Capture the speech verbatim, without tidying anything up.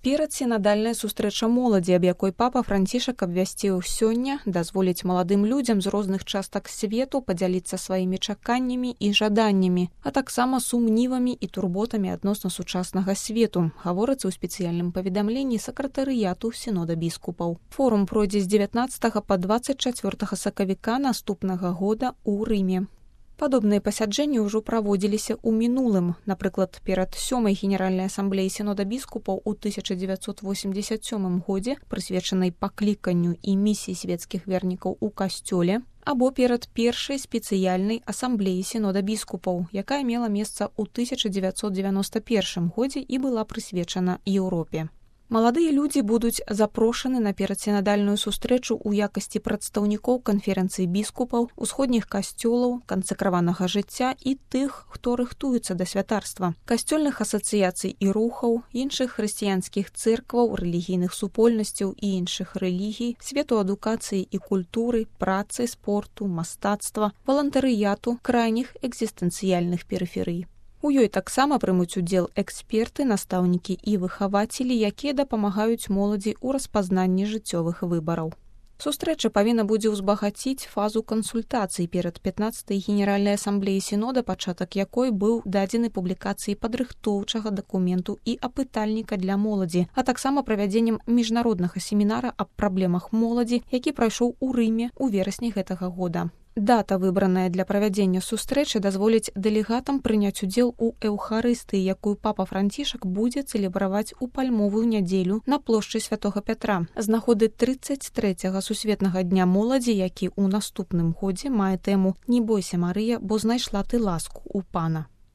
Перадсінадальная сустрэча моладзі, аб якой папа Францішак абвясціў сёння, дазволіць маладым людзям з розных частак свету падзяліцца сваімі чаканнямі і жаданнямі, а таксама сумнівамі і турботамі адносна сучаснага свету, гаворыцца ў спецыяльным паведамленні сакратарыяту сінода біскупаў. Форум пройдзе з дзевятнаццатага па дваццаць чацвёртага сакавіка наступнага года ў Рыме. Падобныя пасяджэнні ўжо праводзіліся ў мінулым. Напрыклад, перад сёмай генеральнай асамблеяй сінода біскупаў у тысяча дзевяцьсот восемьдесят сёмым годзе, прысвечанай пакліканню і місіі свецкіх вернікаў у касцёле, або перад першай спецыяльнай асамблеяй сінода біскупаў, якая мела месца ў тысяча дзевяцьсот дзевяноста першым годзе і была прысвечана Еўропе. Маладыя людзі будуць запрошаны на перадсінадальную сустрэчу ў якасці прадстаўнікоў канферэнцыі біскупаў, усходніх касцёлаў, кансакраванага жыцця і тых, хто рыхтуецца да святарства, касцёльных асацыяцый і рухаў, іншых хрысціянскіх цэркваў, рэлігійных супольнасцяў і іншых рэлігій, свету адукацыі і культуры, працы, спорту, мастацтва, валантарыяту, крайніх экзістэнцыяльных перыферый. У ёй таксама прымуць удзел эксперты, настаўнікі і выхавацелі, якія дапамагаюць моладзі ў распазнанні жыццёвых выбараў. Сустрэча павінна будзе ўзбагаціць фазу кансультацый перад пятнаццатай генеральнай асамблеяй сінода, пачатак якой быў дадзены публікацыі падрыхтоўчага дакументу і апытальніка для моладзі, а таксама правядзеннем міжнароднага семінара аб праблемах моладзі, які прайшоў у Рыме ў верасні гэтага года. Дата, выбраная для правядзення сустрэчы, дазволіць дэлегатам прыняць удзел у эўхарыстыі, якую папа Францішак будзе цэлебраваць у пальмовую нядзелю на плошчы Святога Пятра з нагоды трыццаць трэцяга сусветнага дня моладзі, які ў наступным годзе мае тэму «Не бойся, Марыя, бо знайшла ты ласку у пана».